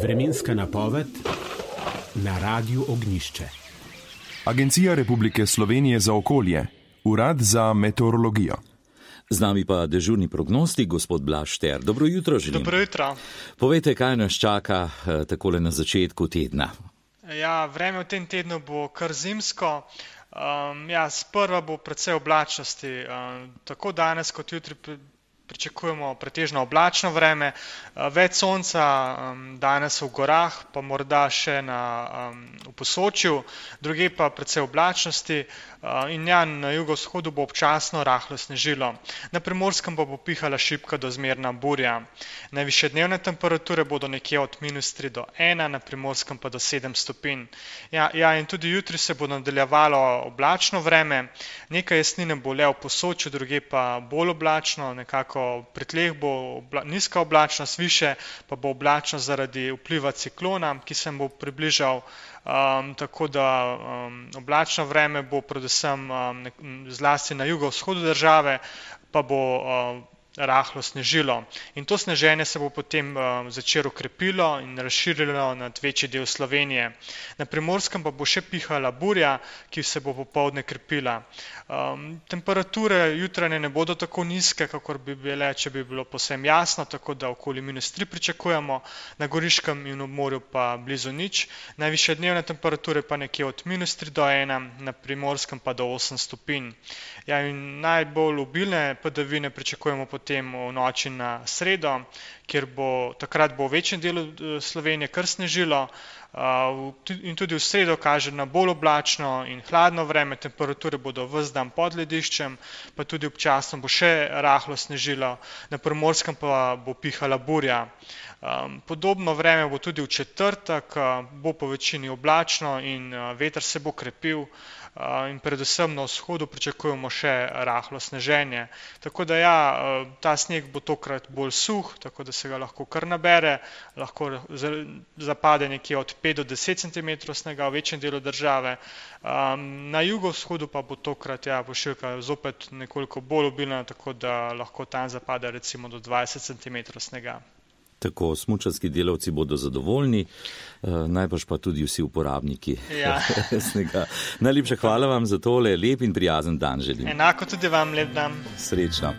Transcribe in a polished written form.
Vremenska napoved na Radiu Ognjišče. Agencija Republike Slovenije za okolje, Urad za meteorologijo. Z nami pa dežurni prognostik, gospod Blaž Šter. Dobro jutro želim. Dobro jutro. Povejte, kaj nas čaka takole na začetku tedna. Ja, vreme v tem tednu bo kar zimsko. Sprva bo precej oblačnosti. Tako danes kot jutri pričakujemo pretežno oblačno vreme, več sonca danes v gorah, pa morda še v Posočju, drugje pa precej oblačnosti in na jugovzhodu bo občasno rahlo snežilo. Na Primorskem pa bo pihala šibka do zmerna burja. Najvišje dnevne temperature bodo nekje od -3 do 1, na Primorskem pa do 7 stopinj. In tudi jutri se bo nadaljevalo oblačno vreme, nekaj jesnine bo le v Posočju, drugje pa bolj oblačno, nekako pri tleh bo nizka oblačnost, više pa bo oblačnost zaradi vpliva ciklona, ki se bo približal, tako da oblačno vreme bo predvsem zlasti na jugovzhodu države, pa bo rahlo snežilo. In to sneženje se bo potem začelo krepilo in razširilo nad večji del Slovenije. Na Primorskem pa bo še pihala burja, ki se bo popoldne krepila. Temperature jutranje ne bodo tako nizke, kakor bi bile, če bi bilo povsem jasno, tako da okoli -3 pričakujemo, na Goriškem in ob morju pa blizu nič. Najvišje dnevne temperature pa nekje od -3 do 1, na Primorskem pa do 8 stopinj. In najbolj obilne padavine pričakujemo potem v noči na sredo, kjer takrat bo v večjem delu Slovenije kar snežilo, in tudi v sredo kaže na bolj oblačno in hladno vreme, temperature bodo ves dan pod lediščem, pa tudi občasno bo še rahlo snežilo, na Primorskem pa bo pihala burja. Podobno vreme bo tudi v četrtek, bo po večini oblačno in veter se bo krepil, in predvsem na vzhodu pričakujemo še rahlo sneženje. Tako da ta sneg bo tokrat bolj suh, tako da se ga lahko kar nabere, lahko zapade nekje od 5 do 10 cm snega v večjem delu države. Na jugovzhodu pa bo tokrat pošiljka zopet nekoliko bolj obilna, tako da lahko tam zapade recimo do 20 cm snega. Tako, smučarski delavci bodo zadovoljni, najbrž pa tudi vsi uporabniki snega. Najlepša hvala vam za tole, lep in prijazen dan želim. Enako tudi vam lep dan. Srečno.